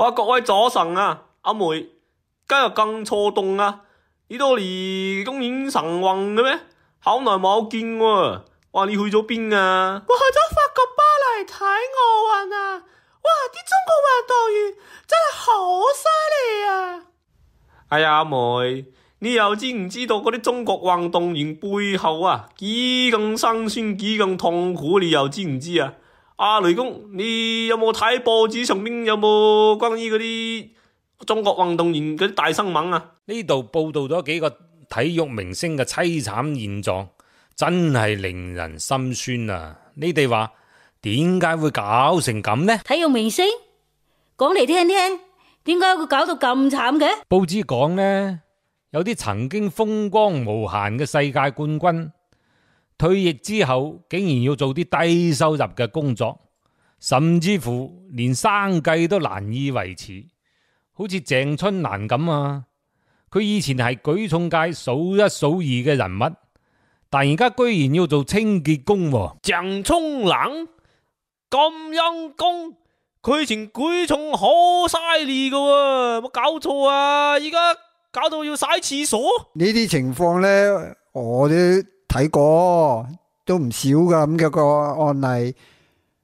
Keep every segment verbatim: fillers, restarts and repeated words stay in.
哇，各位早晨啊，阿梅，今日咁錯凍啊？呢度離公園晨運嘅咩？好耐冇見喎。哇，你去咗邊啊？我去咗法國巴黎睇奧運啊！哇，啲中國運動員真係好犀利啊！哎呀，阿梅，你又知唔知道嗰啲中國運動員背後啊幾咁辛酸幾咁痛苦？你又知唔知啊？阿雷公，你有冇睇報紙上邊有冇關於嗰啲中國運動員嗰啲大新聞啊？呢度報道咗幾個體育明星嘅淒慘現狀，真係令人心酸啊！你哋話點解會搞成咁呢？體育明星講嚟聽聽，點解會搞到咁慘嘅？報紙講呢，有啲曾經風光無限嘅世界冠軍，退役之後竟然要做啲低收入嘅工作，甚至乎連生計都難以維持。好似鄭春蘭咁啊，佢以前係舉重界數一數二嘅人物，但而家居然要做清潔工喎。鄭春蘭咁陰功，佢以前舉重好犀利㗎喎，冇搞錯啊！而家搞到要洗廁所。呢啲情況呢，我都睇過，都唔少噶咁嘅個案例。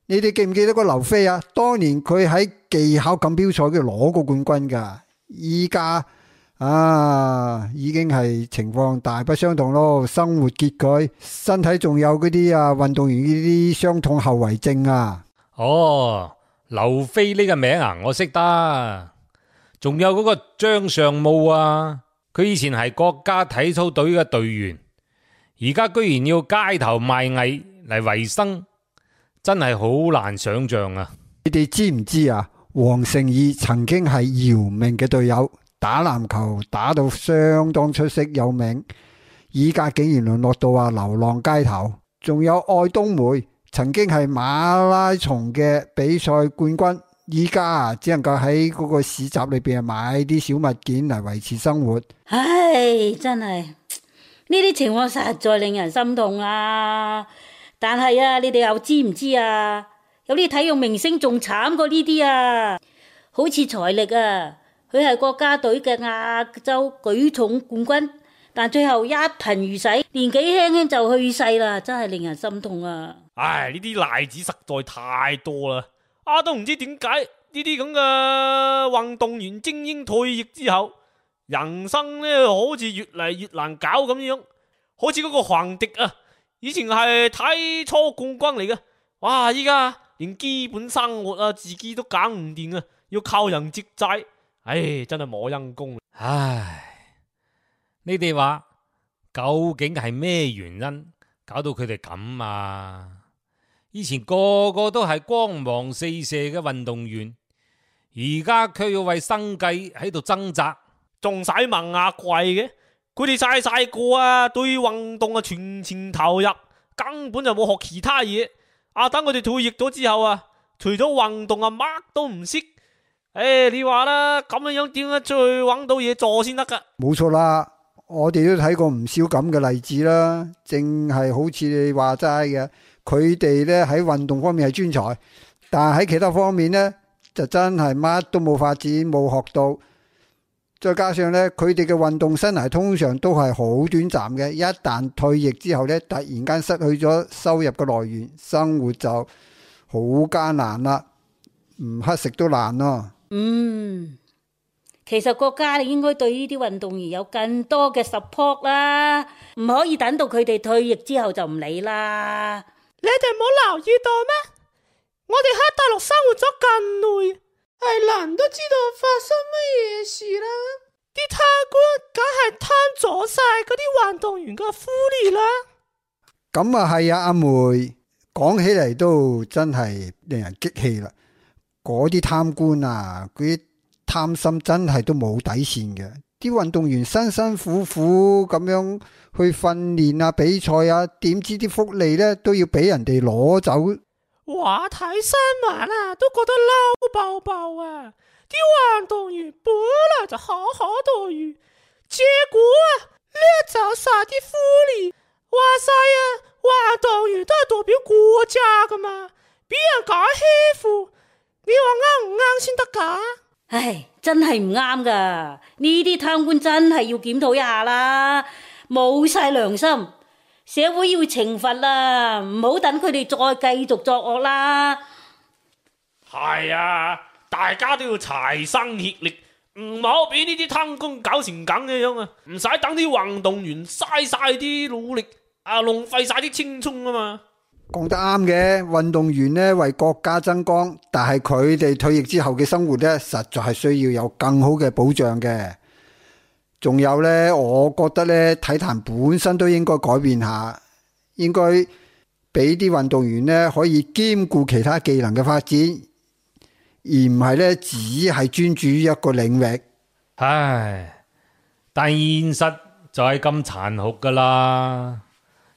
你哋記唔記得個劉飛啊？當年佢喺技巧錦標賽嗰度攞過冠軍噶，依家啊已經係情況大不相同咯。生活拮據，身體仲有嗰啲啊運動員呢啲傷痛後遺症啊。哦，劉飛呢個名啊，我識得。仲有嗰個張尚武啊，佢以前係國家體操隊嘅隊員，而家居然要街頭賣藝嚟維生，真係好難想象啊！你哋知唔知啊？黃聖義曾經係姚明嘅隊友，打籃球打到相當出色有名，依家竟然淪落到啊流浪街頭。仲有愛冬梅，曾經係馬拉松嘅比賽冠軍，依家啊只能夠喺嗰個市集裏邊買啲小物件嚟維持生活。唉，真係呢啲情況實在令人心痛啊！但係啊，你哋又知唔知啊？有啲體育明星仲慘過呢啲啊！好似財力啊，佢係國家隊嘅亞洲舉重冠軍，但最後一貧如洗，年紀輕輕就去世啦，真係令人心痛啊！唉，呢啲例子實在太多啦，啊都唔知點解呢啲咁嘅運動員精英退役之後，人生呢好似越嚟越難搞咁樣。好似嗰個黃迪啊，以前係體操冠軍嚟嘅，哇！依家連基本生活啊自己都搞唔掂啊，要靠人接濟，唉，真係冇陰功。唉，你哋話究竟係咩原因搞到佢哋咁啊？以前個個都係光芒四射嘅運動員，而家卻要為生計喺度掙扎，仲使問阿貴嘅？佢哋細細個啊，對運動啊全情投入，根本就冇學其他嘢。啊，等佢哋退役咗之後啊，除咗運動啊，乜都唔識。誒，你話啦，咁樣樣點樣再搵到嘢做先得噶？冇錯啦，我哋都睇過唔少咁嘅例子啦。正係好似你話齋嘅，佢哋咧喺運動方面係專才，但係喺其他方面呢，就真係乜都冇發展，冇學到。再加上咧，佢哋嘅運動生涯通常都係好短暫嘅，一旦退役之後咧，突然間失去咗收入嘅來源，生活就好艱難啦，唔乞食都難咯。嗯，其實國家應該對呢啲運動員有更多嘅 support 啦，唔可以等到佢哋退役之後就唔理啦。你哋冇留意到咩？我哋喺大陸生活咗咁耐，係人都知道發生乜嘢事啦。啲貪官梗係貪咗晒嗰啲運動員嘅福利啦。咁啊係啊，阿梅講起嚟都真係令人激氣啦。嗰啲貪官啊，嗰啲貪心真係都冇底線嘅。啲運動員辛辛苦苦咁樣去訓練啊、比賽啊，點知啲福利呢都要俾人哋攞走。話睇新聞啊，都覺得嬲爆爆啊！啲運動員本來就好好待遇，結果啊掠走晒啲福利。話晒啊，運動員都係代表國家噶嘛，俾人咁欺負，你話啱唔啱先得噶？唉，真係唔啱噶，呢啲貪官真係要檢討一下啦，冇晒良心，社會要懲罰啦，唔好等佢哋再繼續作惡啦。係啊，大家都要齊心協力，唔好俾呢啲貪官搞成咁嘅樣啊！唔使等啲運動員嘥晒啲努力啊，浪費晒啲青春啊嘛。講得啱嘅，運動員呢為國家爭光，但係佢哋退役之後嘅生活呢，實在係需要有更好嘅保障嘅。仲有呢，我覺得呢，體壇本身都應該改變下，應該俾啲運動員呢可以兼顧其他技能嘅發展，而唔係呢只係專注於一個領域。唉，但現實就係咁殘酷噶啦。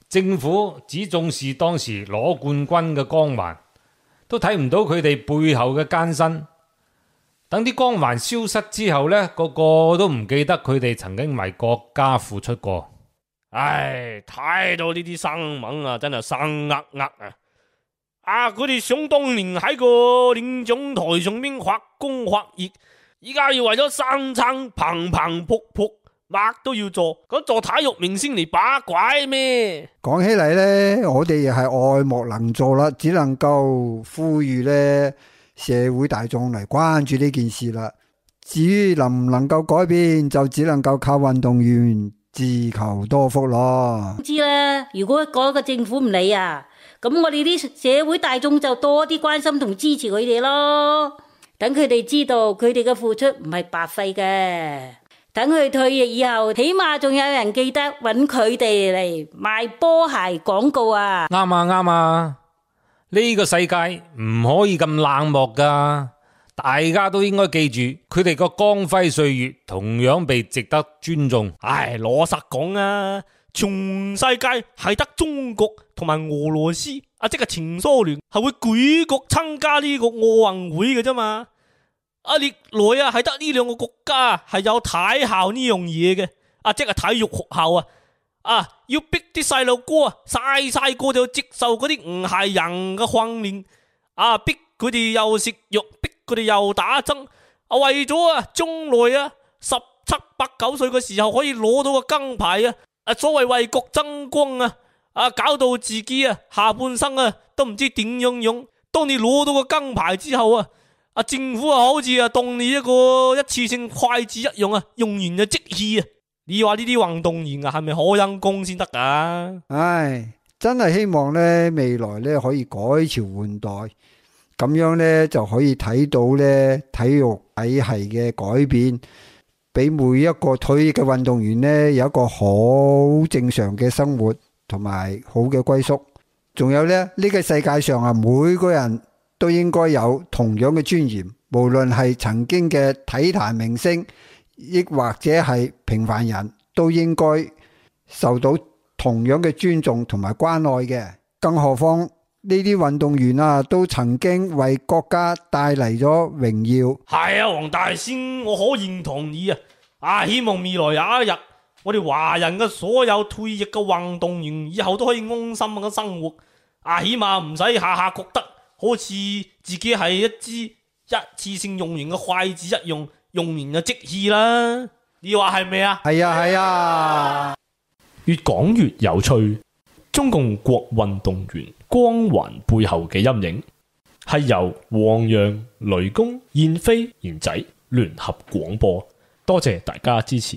政府只重視當時攞冠軍嘅光環，都睇唔到佢哋背後嘅艱辛。等啲光環消失之後呢，個個都唔記得佢哋曾經為國家付出過。唉，睇到呢啲新聞啊，真係生呃呃啊！啊，佢哋想當年喺個領獎台上面發光發熱，依家要為咗生撐砰砰撲撲，乜都要做，咁做體育明星嚟把鬼咩？講起嚟呢，我哋又係愛莫能助啦，只能夠呼籲呢社會大眾嚟關注呢件事啦。至於能唔能夠改變，就只能夠靠運動員自求多福咯。知啦，如果嗰個政府唔理啊，咁我哋啲社會大眾就多啲關心同支持佢哋咯，等佢哋知道佢哋嘅付出唔係白費嘅。等佢退役以後，起碼仲有人記得揾佢哋嚟賣波鞋廣告啊！啱啊啱啊！呢個世界唔可以咁冷漠噶，大家都應該記住，佢哋個光輝歲月同樣被值得尊重。唉，老實講啊，全世界係得中國同埋俄羅斯啊，即係前蘇聯係會舉國參加呢個奧運會嘅啫嘛。啊，歷來啊係得呢兩個國家係有體校呢樣嘢嘅，啊即係體育學校啊，啊要逼啲細路哥啊細細個就接受嗰啲唔係人嘅訓練，啊逼佢哋又食藥，逼佢哋又打針，啊為咗啊將來啊十七八九歲嘅時候可以攞到個金牌啊，啊所謂為國爭光啊，啊搞到自己啊下半生啊都唔知點樣樣。當你攞到個金牌之後啊，啊！政府啊，好似啊當你一個一次性筷子一樣啊，用完就即棄啊！你話呢啲運動員啊，係咪好陰功先得噶？唉，真係希望呢未來呢可以改朝換代，咁樣呢就可以睇到呢體育體系嘅改變，俾每一個退役嘅運動員呢有一個好正常嘅生活同埋好嘅歸宿。仲有呢，呢個世界上啊，每個人都應該有同樣嘅尊嚴，無論係曾經嘅體壇明星，亦或者係平凡人，都應該受到同樣嘅尊重同埋關愛嘅。更何況呢啲運動員啊，都曾經為國家帶嚟咗榮耀。係啊，黃大仙，我好認同你啊！啊，希望未來有一日，我哋華人嘅所有退役嘅運動員以後都可以安心咁生活。啊，起碼唔使下下覺得好似自己係一支一次性用完嘅筷子一樣，用完就即棄啦。你話係咪啊？係啊係啊，越講越有趣。中共國運動員光環背後嘅陰影，係由黃洋、雷公、燕飛、賢仔聯合廣播。多謝大家支持。